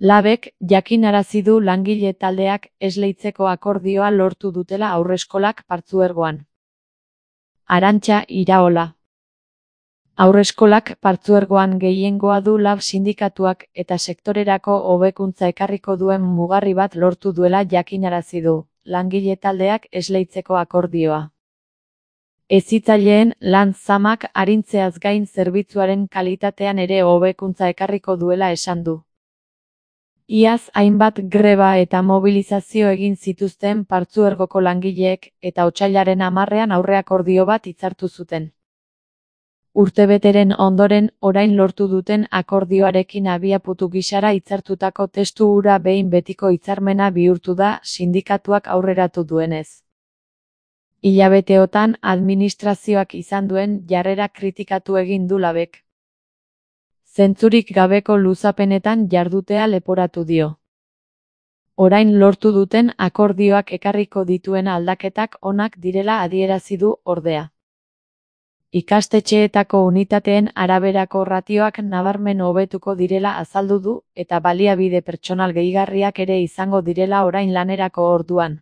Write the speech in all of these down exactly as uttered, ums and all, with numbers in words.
Labek jakinarazi du langile taldeak esleitzeko akordioa lortu dutela haurreskolak partzuergoan. Arantxa Iraola. Haurreskolak partzuergoan gehiengoa du Lab sindikatuak eta sektorerako hobekuntza ekarriko duen mugarri bat lortu duela jakinarazi du langile taldeak esleitzeko akordioa. Hezitzaileen lan zamak arintzeaz gain zerbitzuaren kalitatean ere hobekuntza ekarriko duela esan du. Iaz hainbat greba eta mobilizazio egin zituzten partzuergoko langileek eta otsailaren hamarrean aurreakordio bat hitzartu zuten. Urtebeteren ondoren orain lortu duten akordioarekin abiapuntu gisara hitzartutako testu hura behin betiko hitzarmena bihurtu da sindikatuak aurreratu duenez. Hilabeteotan administrazioak izan duen jarrera kritikatu egin du Labek. Zentzurik gabeko luzapenetan jardutea leporatu dio. Orain lortu duten akordioak ekarriko dituen aldaketak onak direla adierazi du ordea. Ikastetxeetako unitateen araberako ratioak nabarmen hobetuko direla azaldu du eta baliabide pertsonal gehigarriak ere izango direla orain lanerako orduan.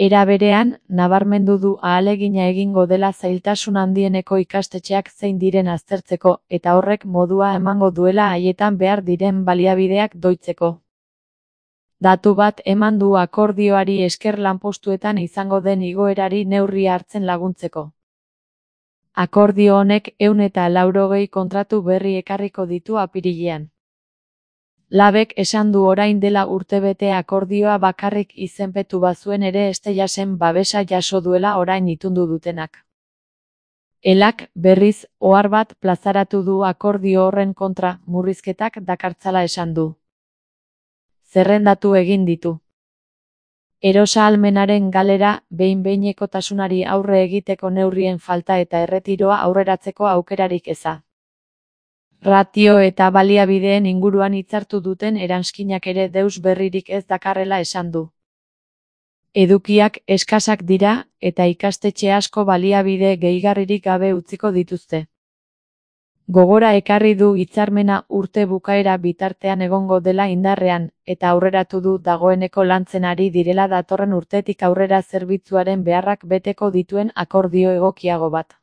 Era berean, nabarmendu du ahalegina egingo dela zailtasun handieneko ikastetxeak zein diren aztertzeko eta horrek modua emango duela haietan behar diren baliabideak doitzeko. Datu bat eman du akordioari esker lanpostuetan izango den igoerari neurria hartzen laguntzeko. Akordio honek ehun eta laurogei kontratu berri ekarriko ditu apirilean. Labek esan du orain dela urtebete akordioa bakarrik izenpetu bazuen ere Esteiasen babesa jaso duela orain itundu dutenak. Elak, berriz, ohar bat plazaratu du akordio horren kontra murrizketak dakartzala esan du. Zerrendatu egin ditu. Erosahalmenaren galera, behin-behinekotasunari aurre egiteko neurrien falta eta erretiroa aurreratzeko aukerarik eza. Ratio eta baliabideen inguruan hitzartu duten eranskinak ere deus berririk ez dakarrela esan du. Edukiak eskasak dira eta ikastetxe asko baliabide gehigarririk gabe utziko dituzte. Gogora ekarri du hitzarmena urte bukaera bitartean egongo dela indarrean eta aurreratu du dagoeneko lantzen ari direla datorren urtetik aurrera zerbitzuaren beharrak beteko dituen akordio egokiago bat.